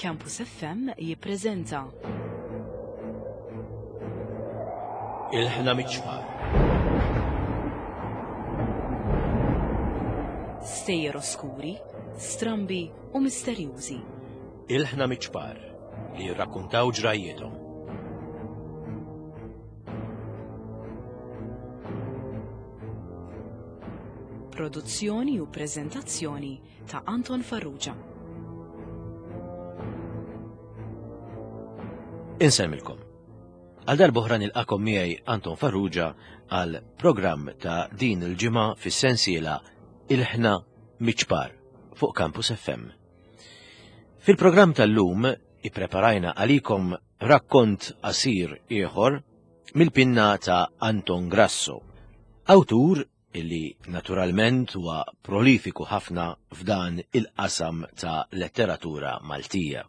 Campus FM jippreżenta. Il-ħna miċ-ċpar. Stejjer oskuri, strambi u misterjużi. Il-ħna miċ-ċpar li jirrakkuntaw ġrajjiethom. Produzzjoni u preżentazzjoni ta' Anton Farrugia. Insemmilkom. Għal darb'oħra nilqakom miegħi Anton Farrugia għal programm ta' din il-ġimgħa fis-sensiela Il-ħna miċ-ċpar fuq Campus FM. Fil-programm tal-lum ippreparajna għalikom rakkont qasir ieħor mill-pinna ta' Anton Grasso, awtur illi naturalment huwa prolifiku ħafna f'dan il-qasam ta' letteratura Maltija.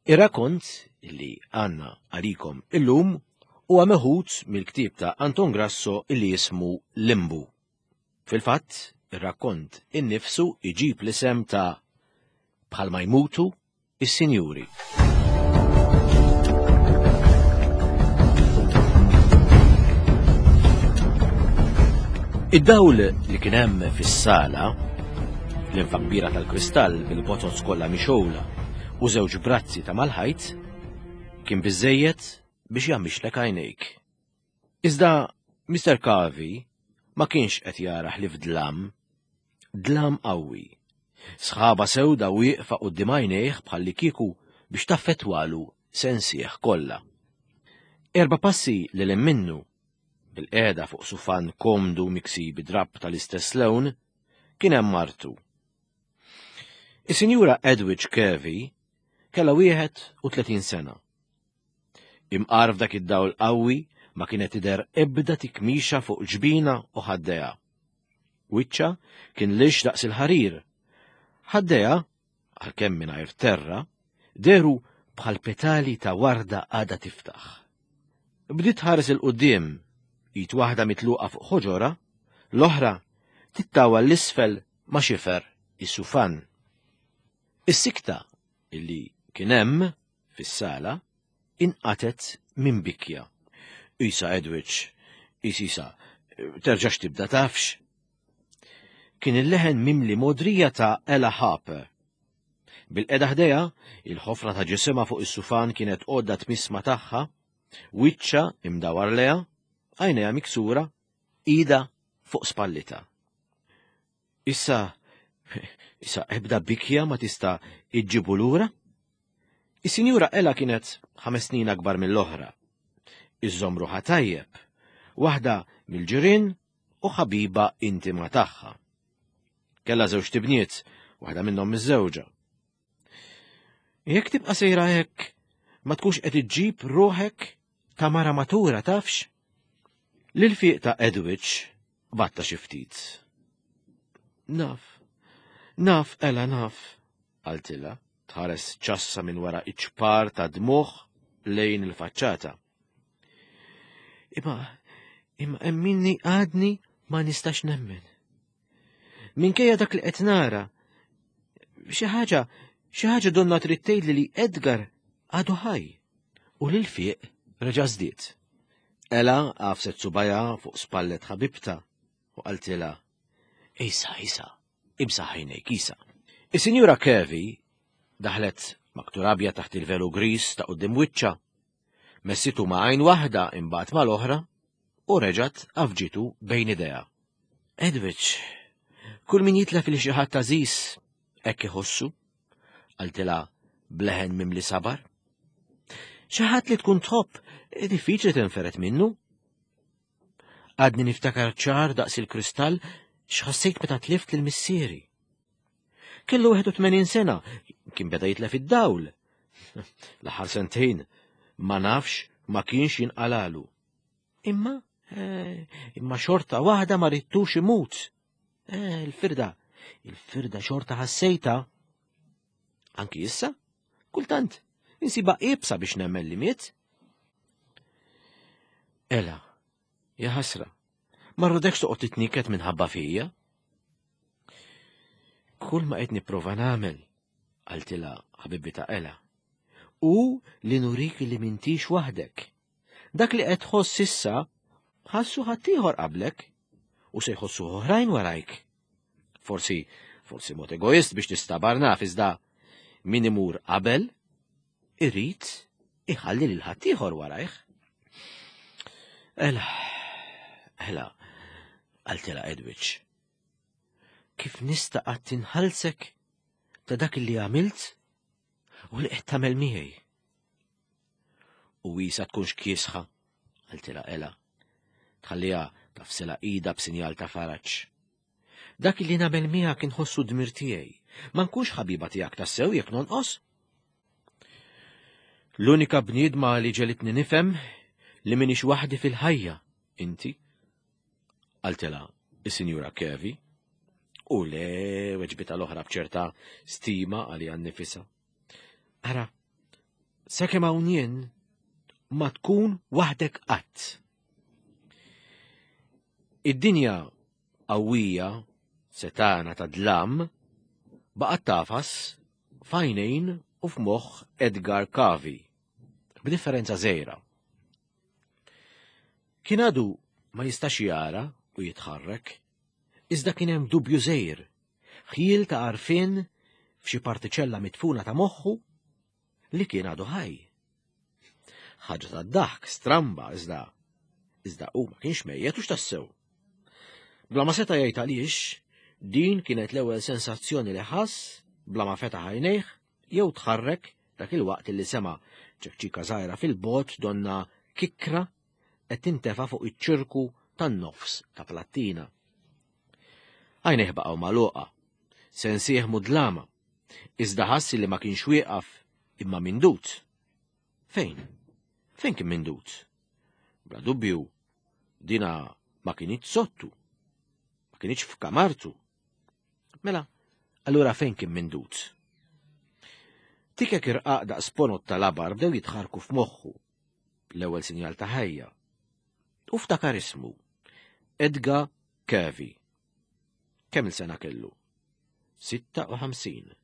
Ir-rakkont illi għandna għalikom illum huwa meħud mill-ktieb ta' Anton Grasso illi jismu Limbu. Fil-fatt, ir-rakkont innifsu iġib l-isem ta' Bħalma jmutu is-sinjuri. Id-dawl li kien hemm fis-sala, l-infa kbira tal-kristall bil-bozoz kollha mixgħula u żewġ brazzi ta' mal-ħajt, kien biżejjed biex jagħmixlek għajnejk. Iżda Mr. Carvey ma kienx qed jara ħlief dlam, dlam qawwi. Sħaba sewda wieqfa quddiem għajnejh bħallikieku biex taffettwalu sensih kollha. Erba' passi lil hemm minnu, bilqiegħda fuq sufan komdu miksi bi drapp tal-istess lewn, kien hemm martu. Is-Sinjura Edwidge Kirby kellha 31 sena. Imqar f'dak id-dawl qawwi ma kienet tidher ebda tikmixa fuq ġbina u ħaddejha. Wiċċha kien lix daqs il-ħarir. Ħaddejha, għalkemm mingħajr terra, dehru bħal petali ta' warda għadha tiftaħ. Bdiet tħares 'il quddiem, id waħda mitluqa fuq ħoġorha, l-oħra tittawal 'l isfel ma' xifer is-sufan. Is-sikta illi kien hemm fis-sala inqatgħet minn bikja. Isa Edwidge, isisa, terġax tibda tafx. Kien il-leħen mimli modrija ta' Ella Harper. Bil-qeda ħdejha, il-ħofra ta' ġisimha fuq is-sufan kienet għodda tmissma tagħha, wiċċha imdawar leha, għajnejha miksura, ida fuq spallitha. Issa, issa ebda bikja ma tista' iġġibu lura? Is-Sinjura Ella kienet ħames snin akbar mill-oħra. Iżżomm ruħha tajjeb, waħda mill-ġirien u ħabiba intima tagħha. Kellha żewġ tibniet, waħda minnhom miżżewġa. Jekk tibqa' sejra hekk, ma tkunx qed iġġib ruħek ta' mara matura tafx? L-ilfiq ta' Edwidge batta xi ftit. Naf, naf, Ella, naf, qaltilha, tħares ċassa minn wara iċ-ċpar ta' dmugħ lejn il-faċċata. Imma, imma emminni għadni ma nistax nemmen. Minkejja dak li qed nara, xi ħaġa, xi ħaġa donna trid tgħidli li Edgar għadu ħaj u lil fiq reġa' żdied. Ela għafset subajha fuq spallet ħabibta u qaltilha, Isa, Isa, imsaħ għajnejk, Isa. Is-Sinjura Kirby daħlet maktur abjad taħt il-velu gris ta' quddiem wiċċha, messitu ma' għajn waħda imbagħad mal-oħra u reġgħet għafġitu bejn idejha. Edwidge, kull min jitlef li xi ħadd għażiż hekk iħossu, qaltilha bleħen mimli sabar. Xi ħadd li tkun tħobb diffiċli tinferet minnu. Għadni niftakar ċar daqs il-kristall x'ħassejt meta tlift lil missieri. Kellu 81 sena, kien beda jitlef id-dawl. L-aħħar sentejn ma nafx ma kienx jinqalalu. Imma, eh, imma xorta waħda ma rittux imut. Eh, il-firda, il-firda xorta ħassejta. Anki issa, kultant, insiba ibsa biex nemmen li miet. Ela, ja ħasra, ma rridekx toqgħod titniket minħabba fija. Kull ma qed nipprova nagħmel. Qaltilha ħabibitha Ela, hu li nurik li m'intix waħdek. Dak li qed tħoss issa ħassu ħaddieħor qablek u se jħossu oħrajn warajk. Forsi, forsi mod egoist biex tistabar naf iżda min imur qabel irid iħalli lil ħaddieħor warajh. Ela, ela, qaltilha Edwidge. Kif nista' qatt inħallsek ta' dak li għamilt u li qed tagħmel miegħi? U wisa tkunx kiesħa, qaltilha Ela. Tħalliha tafsila ida b'sinjal ta' faraġ. Dak li nagħmel miegħek inħossu dmir tiegħi. Ma nkunx ħabiba tiegħek tassew jekk nonqos. L-unika bniedma li ġelitni nifhem li minix waħdi fil-ħajja, inti. Qaltilha is-Sinjura Kevi. U le weġbita l-oħra b'ċerta stima għalija nnifisha. Ara, sakemm hawn jien ma tkun waħdek qatt. Id-dinja qawwija setana ta' dlam baqgħet tafas f'għajnejn u f'moħħ Edgar Cavi, b'differenza żgħira. Kien għadu ma jistax jara u jitħarrek, iżda kien hemm dubju żgħir, ħjiel ta' għarfien f'xi partiċella midfuna ta' moħħu li kien għadu ħaj. Ħaġa ta' daħk stramba iżda iżda hu ma kienx mejjet u x'tassew. Bla ma seta' jgħid għaliex, din kienet l-ewwel sensazzjoni li ħass bla ma fetaħ għajnejh jew tħarrek dak il-waqt li sema' ċekċika żgħira fil-bogħod donna kikra qed tintefa' fuq iċ-ċirku tan-nofs ta' plattina. Għajnejh baqgħu magħluqa, sensih mudlama, iżda ħass li ma kienx wieqaf imma mindut. Fejn? Fejn kien mindut? Bla dubju, dina ma kinitx sottu, ma kinitx f'kamartu. Mela, allura fejn kien mindut? Tikek irqaq daqs ponot tal-abar bdew jitħarku f'moħħu, l-ewwel sinjal ta' ħajja. U ftakar ismu, Edgar Kevi. Kemm il-sena kellu? 56.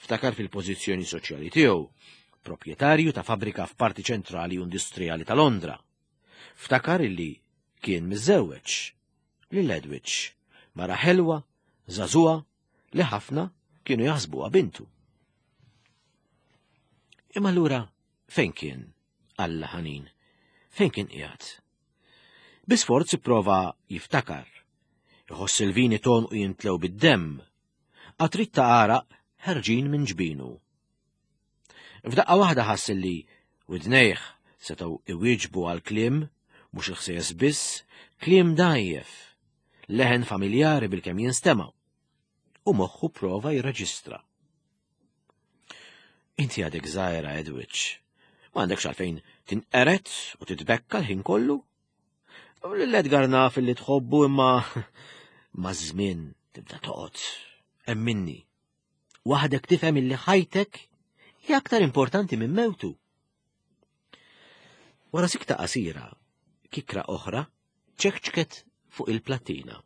Ftakar fil-pożizzjoni soċjali tiegħu, proprjetarju ta' fabbrika f'parti ċentrali u industrijali ta' Londra. Ftakar illi kien miżżewweġ lil Edwidge, mara ħelwa, żagħżugħa li ħafna kienu jaħsbuha bintu. Imma allura fejn kien Alla ħanin? Fejn kien qiegħed? Bi sforz ipprova jiftakar. Iħoss il-vini ton u jintlew bid-demm. Qatrit ta' għaraq ħerġin minn ġbinu. F'daqqa waħda ħass li widnejh setgħu iwieġbu għal kliem mhux il-ħsejjes biss, kliem dgħajjef, leħen familjari bilkemm jinstema' u moħħu prova jirreġistra. Inti għadek żgħira, Edwidge. Ma għandekx għalfejn tinqeret u titbekka l-ħin kollu. L-Edgar naf li tħobbu imma ma' żmien tibda toqgħod. Emminni. Waħdek tifhem illi ħajtek hija aktar importanti minn mewtu. Wara sikta qasira, kikra oħra ċekċket fuq il-plattina.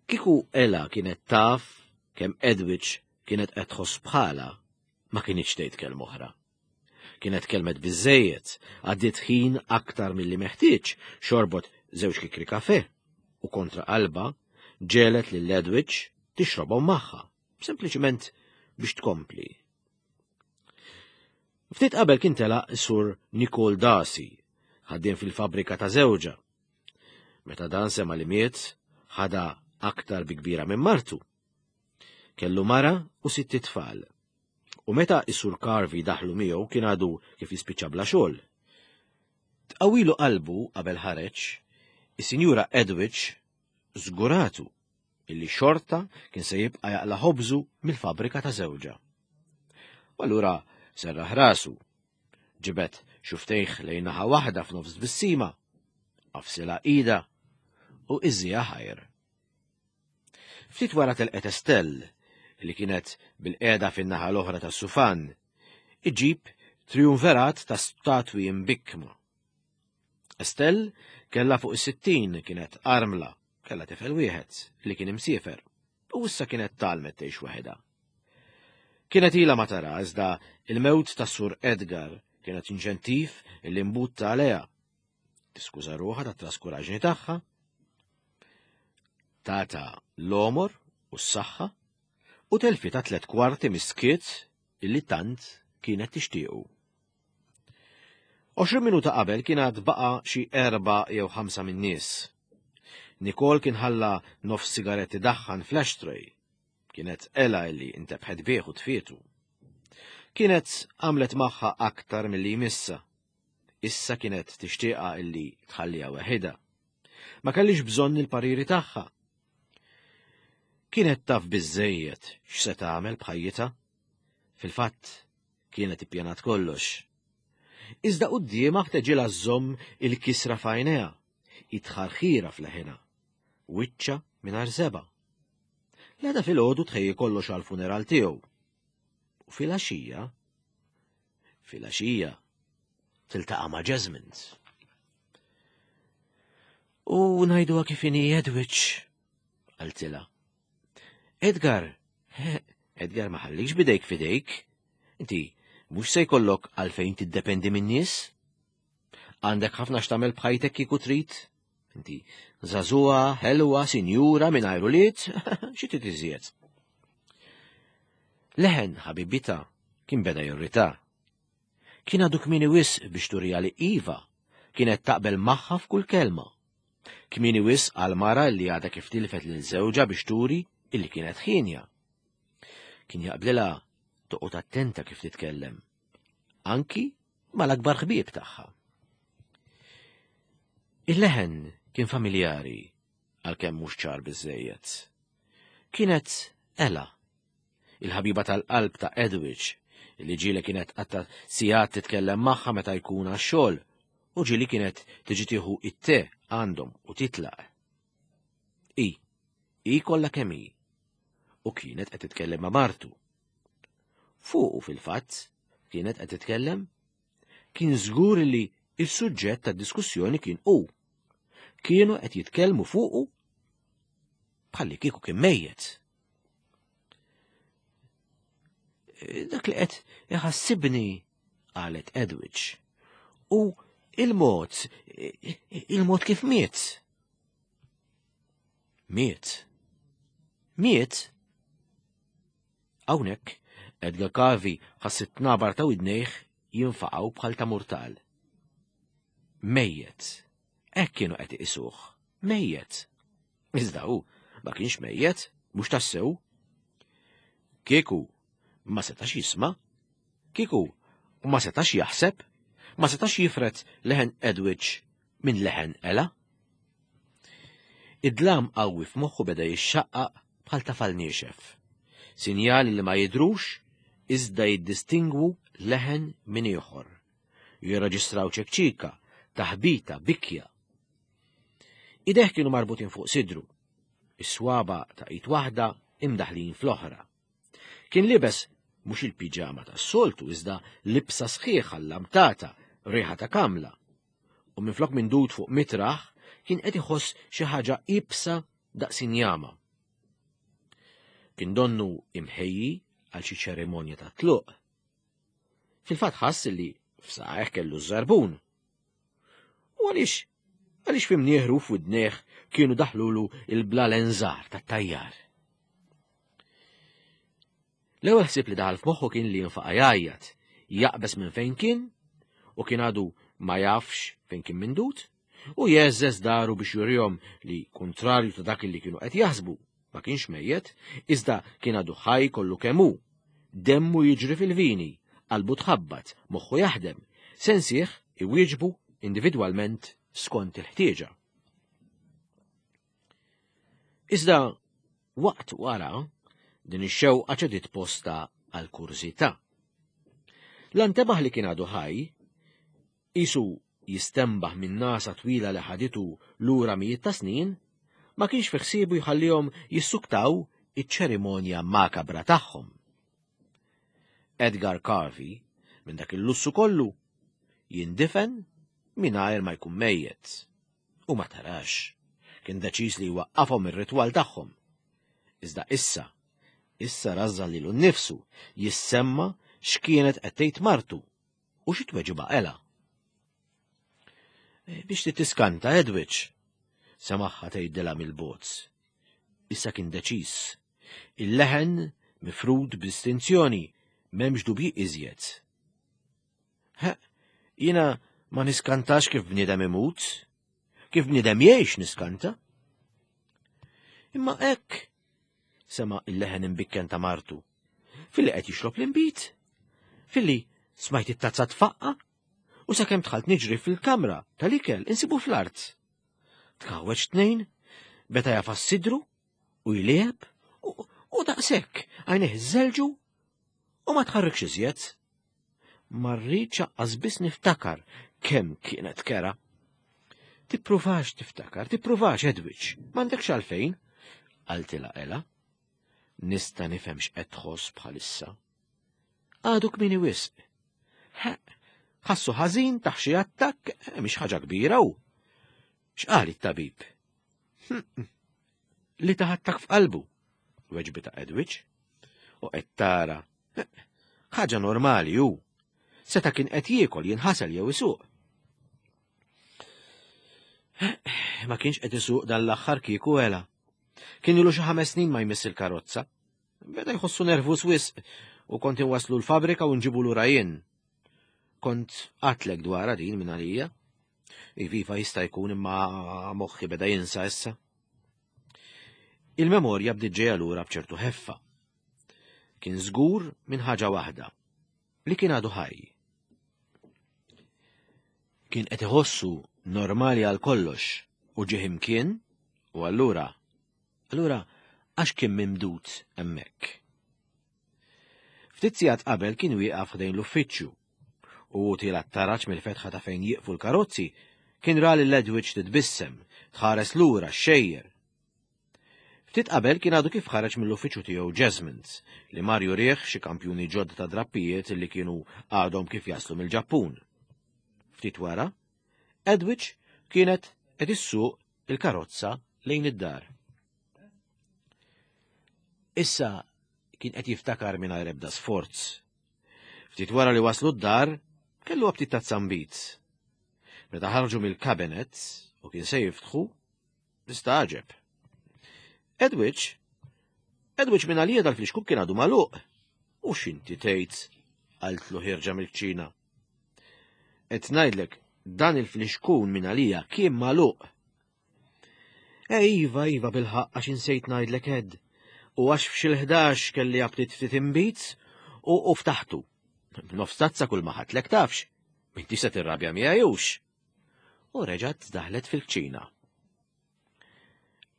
Kieku Ela kienet taf kemm Edwidge kienet qed tħoss bħala, ma kinitx tgħid kelma oħra. Kienet kelmet biżejjed, għaddiet ħin aktar milli meħtieġ, xorbot żewġ kikri kafe u kontra qalba ġelet lil Edwidge tixrobhom magħha, sempliċement biex tkompli. Ftit qabel kien telaq is-sur Nicole Darcy, ħaddiem fil-fabbrika ta' żewġha. Meta dan sema li miet, ħada aktar bi kbira minn martu. Kellu mara u sitt itfal. U meta is-Sur Carvey daħlu miegħu kien għadu kif jispiċċa bla xogħol. Tqawilu qalbu qabel ħareġ, is-Sinjura Edwidge żguratu illi xorta kien se jibqa' jaqla' ħobżu mill-fabbrika ta' żewġha. U allura serraħ rasu, ġibed xuftejh lejn naħa waħda f'nofs tbissima, qafsilha ida u iżżiha ħajr. Ftit wara telqet Estelle, li kienet bil-qiegħda fin-naħa l-oħra tas-sufan, iġib triumverat ta' statwi mbikkma. Estelle kellha fuq is-60 kienet armla, kellha tifel wieħed li kien imsiefer, u issa kienet talmet tgħix waħedha. Kienet ilha ma tara iżda il-mewt ta' Sur Edgar kienet inċentiv li mbutta għaliha. Tiskuża ruħha tat-traskuraġni tagħha. Tata l-omor u s-saħħa u telfi ta' tlet kwarti miskiet illi tant kienet tixtiequ. 20 minuta qabel kien għad baqa' xi erba' jew ħamsa min-nies. Nicole kien ħalla nofs sigaretti daħħan fl-ashtray. Kienet Ela illi intebħet bih u tfietu. Kienet għamlet magħha aktar milli jmissa. Issa kienet tixtieqha illi tħalliha weħidha. Ma kellix bżonn il-pariri tagħha. Kienet taf biżżejjed x'se tagħmel b'ħajjitha. Fil-fatt, kienet ippjanat kollox. Iżda quddiemha ħteġilha żżomm il-kisra f'għajnejha, it-tħarħira f'leħinha, wiċċha mingħajr żebgħa. L-għada filgħodu tħejji kollox għall-funeral tiegħu. U filgħaxija, filgħaxija tiltaqa' ma' Jasmine. U ngħiduha kif inhi Edwidge, qaltilha. Edgar, Edgar ma ħallikx bidejk fidejk. Inti mhux se jkollok għalfejn tiddependi min-nies. Għandek ħafna x'tagħmel b'ħajtek kieku trid. Inti żagħżugħa, ħelwa, sinjura mingħajr ulied, xi trid iżjed. Leħen ħabibita kien beda jirrita. Kien għadu kmieni wisq biex turija li iva kienet taqbel magħha f'kull kelma. Kmieni wisq għal mara li għadha kif tilfet lil żewġha biex turi illi kienet ħienja. Kien jaqblilha toqgħod attenta kif titkellem. Anki mal-akbar ħbieb tagħha. Il-leħen kien familjari għalkemm mhux ċar biżejjed. Kienet Ella, il-ħabiba tal-qalb ta' Edwidge, li ġieli kienet qatta sigħat titkellem magħha meta jkun għax-xogħol u ġieli kienet tiġi tieħu it-te għandhom u titlaq. I, i kollha kemm hi. U kienet qed titkellem ma' martu. Fuqu fil-fatt kienet qed titkellem kien żgur li il-suġġett tad-diskussjoni kien hu. Kienu qed jitkellmu fuqu bħalli kieku kien mejjet. Dak li qed iħassibni qalet Edwidge. U il-mod, il-mod kif miet. Miet. Miet? Hawnhekk, Edgar Cavi ħass it-tnabar ta' widnejh jinfaqgħu bħal ta' murtal. Mejjet. Hekk kienu qed iqisuh. Mejjet. Iżda hu ma kienx mejjet, mhux tassew. Kieku ma setax jisma', kieku ma setax jaħseb, ma setax jifret leħen Edwidge minn leħen Ela. Id-dlam qawwi f'moħħu beda jixxaqqaq bħal tafal niexef. Sinjali li ma jidhrux iżda jiddistingwu leħen minn ieħor. Jirreġistraw ċekċika, taħbita, bikja. Ideh kienu marbutin fuq sidru, is-swaba ta' id waħda imdaħlin fl-oħra. Kien libes mhux il-piġama tas-soltu iżda libsa sħiħa llamtata, riħa ta' kamla. U minflok mindud fuq mitraħ kien qed iħoss xi ħaġa ibsa daqs injama. Kien donnu imħejji għal xi ċerimonja ta' tluq. Fil-fatt ħass li f'saqajh kellu ż-żarbun. U għaliex għaliex fi mnieħru f'widnejh kienu daħlulu il-blalen żgħar tat-tajjar. L-ewwel ħsieb li daħal f'moħħu kien li jinfaqa' jgħajjat, jaqbeż minn fejn kien u kien għadu ma jafx fejn kien mindut u jeżżeż daru biex jurihom li kuntrarju ta' dak li kienu qed jaħsbu, ma kienx mejjet, iżda kien għadu ħaj kollu kemm hu. Demmu jiġri fil-vini, qalbu tħabbat, moħħu jaħdem, sensih iwieġbu individwalment skont il-ħtieġa. Iżda waqt wara din ix-xewqa ċediet posta għal kurżità. L-antebaħ li kien għadu ħaj, qisu jistenbaħ minn nagħsa twila li ħaditu lura mijiet ta' snin, ma kienx fi ħsiebu jħallihom jissuktaw iċ-ċerimonja makabra tagħhom. Edgar Carvey, minn dak il-lussu kollu, jindifen mingħajr ma jkun mejjet. U ma tarax, kien deċiż li jwaqqafhom ir-ritwal tagħhom. Iżda issa, Issa rażżan lilu nnifsu jissemma x'kienet qed tgħid martu u xi tweġiba Ela. Eh, biex titiskanta, Edwidge, semaħħa tgħidilha mill-bozz. Issa kien deċiż. Il-leħen mifrud b'distinzjoni m'hemmx dubji iżjed. Jiena ma niskantax kif bniedem imut, kif bniedem jgħix niskanta. Imma hekk sema il-leħen imbikken ta' martu. Filli qed jixrob l-inbid, filli smajt it-tazza tfaqqa, u sakemm dħalt niġri fil-kamra tal-ikel insibu fl-art. Tkawweġ tnejn, beta jafas sidru u jlieb u daqshekk għajnejh żelġu u ma tħarrikx iżjed. Ma rridx aqqas biss niftakar kemm kienet kera. Tippruvax tiftakar, tippruvax Edwidge, m'għandekx għalfejn, qaltilha Ela. Nista' nifhem x'qed tħoss bħalissa. Għadu kmieni wisq. Ħassu ħażin taħ xi attakk, eh, mhix ħaġa kbira u. X'qal it-tabib? Hm, li taħ attakk f'qalbu, weġbita Edwidge. U qed tara, eh, ħaġa normali hu. Seta kien qed jiekol jinħasel jew isuq. Eh, ma kienx qed isuq dan l-aħħar kieku ela. Kien ilu xi ħames snin ma jmiss il-karozza. Beda jħossu nervus wisq u kont inwaslu l-fabrika u nġibu lura jien. Kont għatlek dwarha din minn għalija. Iviva jista' jkun imma moħħi beda jinsa issa. Il-memorja bdiet ġejja lura b'ċertu ħeffa. Kien żgur minn ħaġa waħda, li kien għadu ħaj. Kien qed iħossu normali għal kollox u ġieħ imkien u allura Allura għax kien mimdud hemmhekk? Ftit sigħat qabel kien wieqaf ħdejn l-uffiċċju u hu tiela' t-taraġ mill-fetħa ta' fejn jieqfu l-karozzi kien ra lil Edwidge titbissem, tħares lura xxejjer. Ftit qabel kien għadu kif ħareġ mill-uffiċċju tiegħu Jasmond li mar jurih xi kampjuni ġodda ta' drappijiet li kienu għadhom kif jaslu mill-Ġappun. Ftit wara, Edwidge kienet qed issuq il-karozza lejn id-dar. Issa kien qed jiftakar mingħajr ebda sforz. Ftit wara li waslu d-dar, kellu aptit ta' zambit. Meta ħarġu mill-kabinet u kien se jiftħu, Nistagħġeb. Edwidge, Edwidge minn għalija dal-flixkun kien għadu magħluq. U x'inti tgħid? qaltlu ħierġa mill-kċina. Qed ngħidlek dan il-flixkun minn għalija kien magħluq. E iva, iva bilħaq għax insejt ngħidlek Ed. U għax f'xi kelli aptit ftit inbid u u ftaħtu. Nofs tazza kull ma ħadtlek tafx. M'intix se tirrabja miegħi hux. U reġgħet daħlet fil-kċina.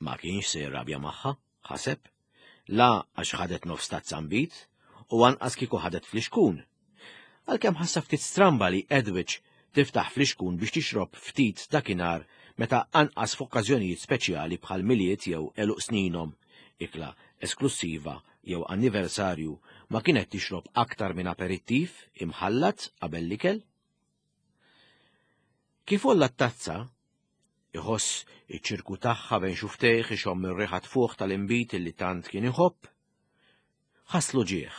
Ma kienx se jirrabja magħha, ħaseb, la għax ħadet nofs tazza nbid u anqas kieku ħadet flixkun. Għalkemm ħassa ftit stramba li Edwidge tiftaħ flixkun biex tixrob ftit dakinhar meta anqas f'okkażjonijiet speċjali bħal Milied jew għeluq sninhom, ikla esklussiva jew anniversarju ma kienet tixrob aktar minn aperittiv imħallat qabel l-ikel. Kif għolla t-tazza, iħoss iċ-ċirku tagħha bejn xuftejh ixomm ir-riħa tfuħ tal-inbid li tant kien iħobb, ħasslu ġieħ,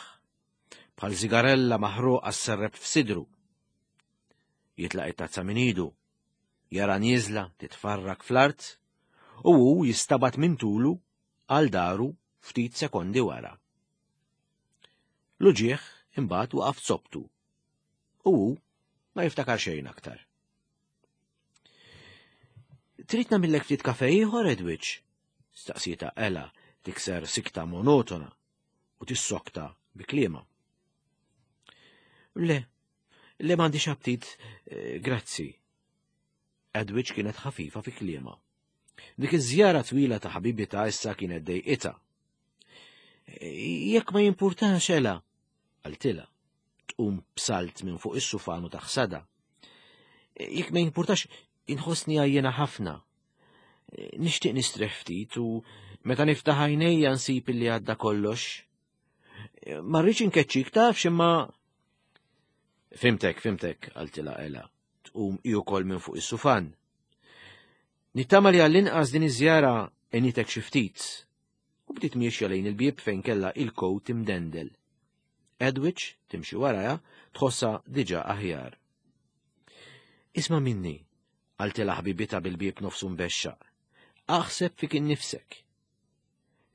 bħal zigarella maħruqa sserrep f'sidru. Jitlaq it-tazza minn idu, jara nieżla titfarrak fl-art u hu jistabat minn tulu għal daru ftit sekondi wara. L-uġieħ imbagħad waqaf zobtu U hu ma jiftakar xejn aktar. Trid nagħmillek ftit kafe ieħor, Edwidge? Staqsieta Ella tikser sikta monotona u tissokta bi kliema. Le, le m'għandix aptit, eh, grazzi. Edwidge kienet ħafifa fi kliema. Dik iż-żjara twila ta' ħabibita issa kienet dejqitha. Jekk ma jimpurtax Ella, qaltilha. Tqum b'salt minn fuq is-sufan u taħsada. Jekk ma jimpurtax, inħossni għajjena ħafna. Nixtieq nistrieħ ftit u meta niftaħ għajnejja nsib illi għadda kollox. Ma rridx inkeċċik tafx imma Fimtek, fimtek, qaltilha Ela, tqum hi wkoll minn fuq is-sufan. Nittama li għall-inqas din iż-żjara għenitek xi ftit. U bdiet miexja lejn il-bieb fejn kellha il-kowt imdendel. Edwidge timxi warajha tħossha diġà aħjar. Isma' minni, qaltilha ħbibitha bil-bieb nofsu mbexxaq. Aħseb fik innifsek.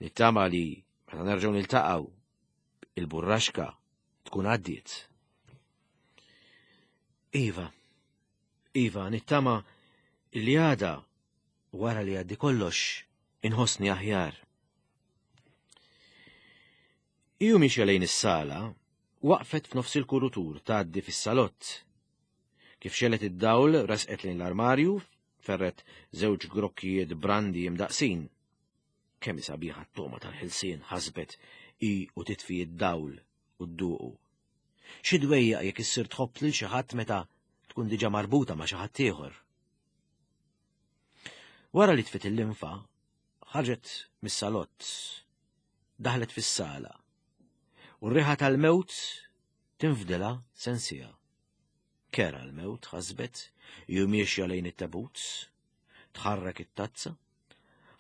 Nittama li meta nerġgħu niltaqgħu il-burraxka tkun għaddiet. Iva, Iva, nittama li għada wara li għaddi kollox inħossni aħjar. Iju miexja lejn is-sala, waqfet f'nofs il-kurutur tgħaddi fis-salott. Kif xelet id-dawl resqet lejn l-armarju, ferret żewġ grokkijiet brandi imdaqsin. Kemm sabiħa t-toma tal-ħelsien ħasbet hi u titfi id-dawl u dduqu. Xi dwejjaq jekk issir tħobb lil xi ħadd meta tkun diġà marbuta ma' xi ħadd ieħor. Wara li tfit il-linfa, ħarġet mis-salott, daħlet fis-sala, u r-riħa tal-mewt tinfdilha sensija. Kera l-mewt ħasbet, ju miexja lejn it-tabut, tħarrek it-tazza.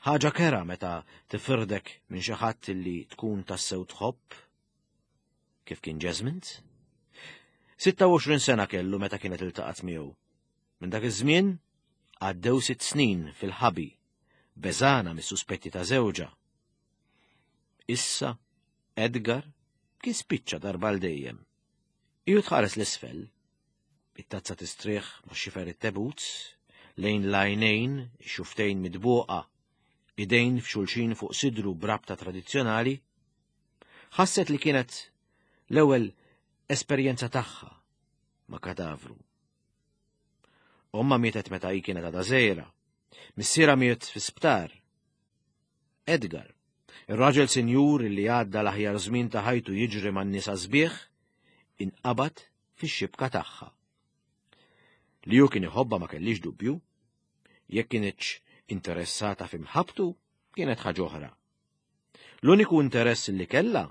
Ħaġa kera meta tifirdek minn xi ħadd li tkun tassew tħobb. Kif kien Jasmine? 26 sena kellu meta kienet iltaqgħet miegħu. Minn dak iż-żmien għaddew sitt snin fil-ħabi, beżana mis-suspetti ta' żewġha. Issa Edgar kien spiċċa darba għal dejjem. Iju tħares l-isfel, it-tazza tistrieħ ma' xifer it-tebut, lejn l-għajnejn, xuftejn midbuqa, idejn f'xulxin fuq sidru brabta tradizzjonali, ħasset li kienet l-ewwel esperjenza tagħha ma' kadavru. Omma mietet meta hi kienet għadha żgħira. Missiera miet fi sptar. Edgar, ir-raġel sinjur li għadda l-aħjar żmien ta' ħajtu jiġri man-nisa sbieħ, inqabad fix-xibka tagħha. Li hu kien iħobbha ma kellix dubju, jekk kienitx interessata fi mħabbtu kienet ħaġa oħra. L-uniku interess li kellha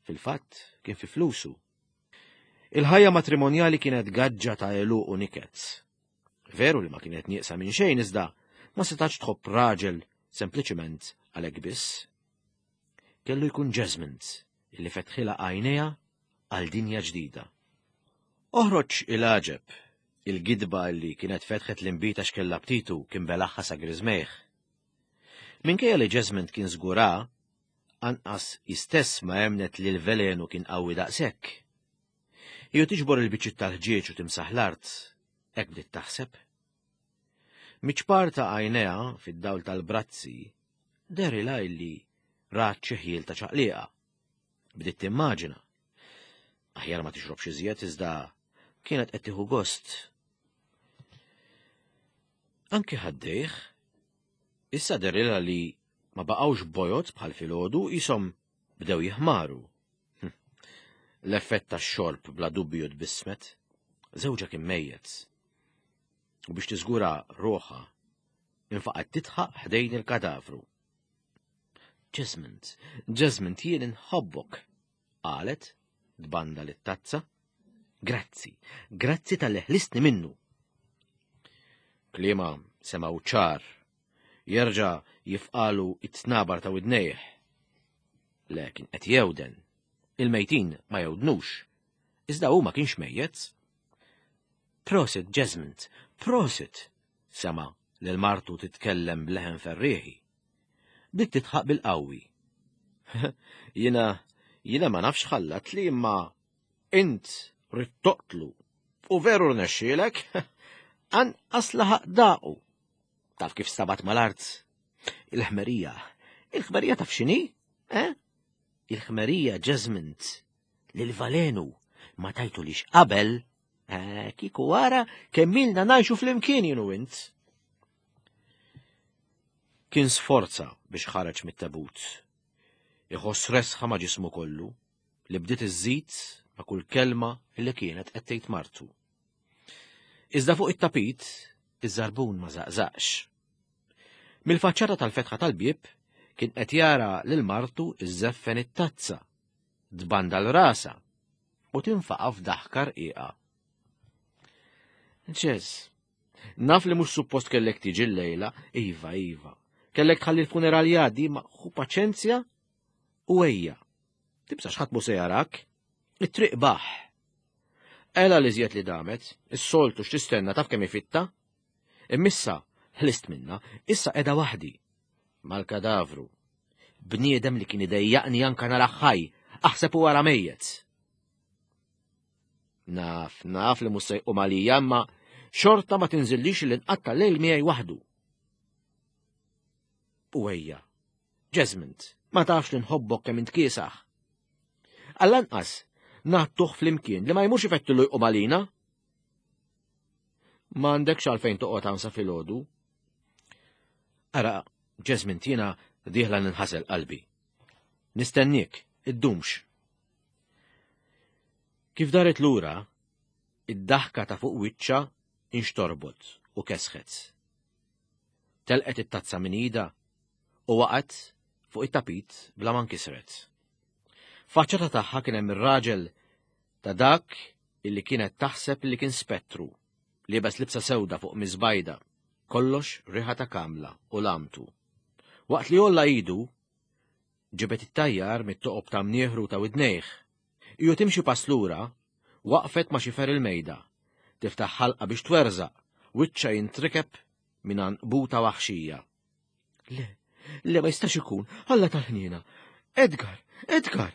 fil-fatt kien fi flusu. Il-ħajja matrimonjali kienet gaġġa ta' għeluq u niket. Veru li ma kienet nieqsa minn xejn iżda ma setax tħobb raġel sempliċiment għalhekk biss. Kellu jkun Jasmine illi fetħilha għajnejha għal dinja ġdida. Oħroġ il-għaġeb, il-gidba li kienet fetħet l-inbid għax kellha btitu kien belaħħa sa griżmejh. Minkejja li Jasmine kien żgura, Anqas hi stess ma emmnet li l-velenu kien qawwi daqshekk. Hi u tiġbor il-biċċiet tal-ħġieġ u timsaħ l-art, hekk bdiet taħseb. Miċ-ċpar ta' għajnejha fid-dawl tal-brazzi dehrilha illi rat xi ħjiel ta' ċaqliqa. Bdiet timmaġina. Aħjar ma tixrobx iżjed iżda kienet qed tieħu gost. Anki ħaddejh Issa dehrilha li ma baqgħux bojod bħal filgħodu qishom bdew jiħmaru. Hm. L-effett tax-xorb bla dubju tbissmet. Żewġha kien mejjet. U biex tiżgura ruħha, infaqgħet titħaq ħdejn il-kadavru. Jesmond, Jesmond, jien inħobbok, qalet, tbanda lit-tazza. Grazzi, grazzi tal-li ħlistni minnu. Kliema semgħu ċar, jerġa' jifqalu it-tnabar ta' widnejh. Le kien qed jewden. Il-mejtin ma jewdnux. Iżda hu ma kienx mejjet. Prosit, Jesmond, prosit, sema' lil martu titkellem b'leħen ferrieħi. Bdiet titħaq bil-qawwi. Jiena jiena ma nafx ħallat li imma int rrid toqtlu. U veru rnexxielek, anqas laħaq daqu. Taf kif stabat mal-art? Il-ħmerija. Il-ħmerija taf x'inhi? Eh? Il-ħmerija ġeżmint lil valenu ma tajtu lix qabel, eh, kiku wara kemm ilna ngħixu flimkien jienu int. Kien sforza biex ħareġ mit-tabut. Iħoss resħa ma' ġismu kollu li bdiet iżżid ma' kull kelma li kienet qed tgħid martu. Iżda fuq it-tapit, iż-żarbun ma żaqżaqx. Mill-faċċata tal-fetħa tal-bieb kien qed jara lil martu iżżeffen it-tazza, tbanda l-rasa u tinfaqa' f'daħka rqiqa. Ġeż, naf li mhux suppost kellek tiġi llejla, iva, iva. Kellek tħalli l-funeral jgħaddi ma ħu paċenzja u ejja. Tibsax ħadd mhu se jarak. It-triq baħ. Ela li żjed li damet, is-soltu x'tistenna taf kemm ifitta? Immissa ħlist minna, issa qiegħda waħdi. Mal-kadavru. Bniedem li kien idejjaqni anka nara ħaj, aħseb u wara mejjet. Naf, naf li mhux se jqum għalija, imma xorta ma tinżillix li nqatta' lejl miegħi waħdu. U ejja, Jesmond, ma tafx li nħobbok kemm int kiesaħ. Għall-anqas, ngħattuh flimkien li ma jmurx ifettilu jqum għalina. Ma għandekx għalfejn toqgħod hawn sa filgħodu. Ara, Jesmond, jiena dieħla ninħasel qalbi. Nistenniek, iddumx. Kif daret lura, id-daħka ta' fuq wiċċha inxtorbot u kesħet. Telqet it-tazza minn idha u waqgħet fuq it-tapit bla ma nkisret. Faċċata tagħha kien hemm ir-raġel ta' dak illi kienet taħseb li kien spettru, liebes libsa sewda fuq miżbajda, kollox riħa ta' kamla u lamtu. Waqt li olla idu, ġibet it-tajjar mit-toqob ta' mnieħru ta' widnejh. Iju timxi pass lura, waqfet ma' xifer il-mejda, tiftaħ ħalqa biex twerżaq, wiċċha jintrikeb minn għanqbuta waħxija. Le, le ma jistax ikun, Alla tal-ħniena. Edgar, Edgar!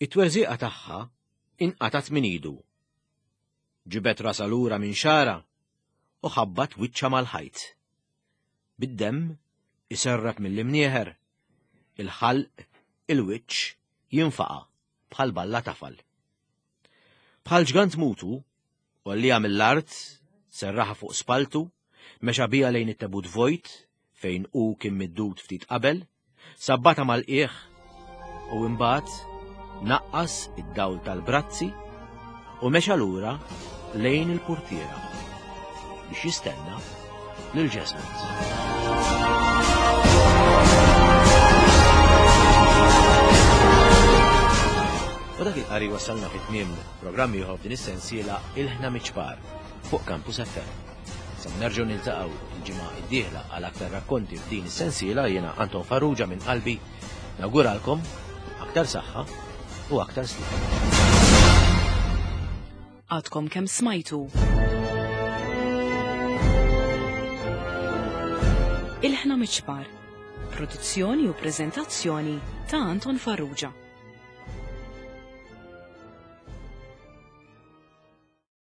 It-twerżiqa tagħha inqatat minn idu. Ġibet rasa lura minn xara u ħabbat wiċċha mal-ħajt. Bid-demm iserrab mill-imnieħer, il-ħalq, il-wiċċ jinfaqa' bħal balla tafal. Bħal ġgant mutu, Għollieha mill-art, serraħha fuq spalltu, mexa biha lejn it-tebut vojt fejn hu kien middud ftit qabel, sabbatha mal-qiegħ u imbagħad naqqas id-dawl tal-brazzi u mexa lura lejn il-purtiera biex jistenna lil Jesmond. U dak il-qari wasalna fit tmiem programm ieħor f'din is-sensiela Ilħna Miċ-Ċpar fuq Campus FM. Sa nerġgħu niltaqgħu il-ġimgħa d-dieħla għal aktar rakkonti f'din is-sensiela jiena Anton Farrugia minn qalbi nawguralkom aktar saħħa u aktar sliem. Għadkom kemm smajtu. Ilħna Miċ-Ċpar. Produzzjoni u preżentazzjoni ta' Anton Farrugia.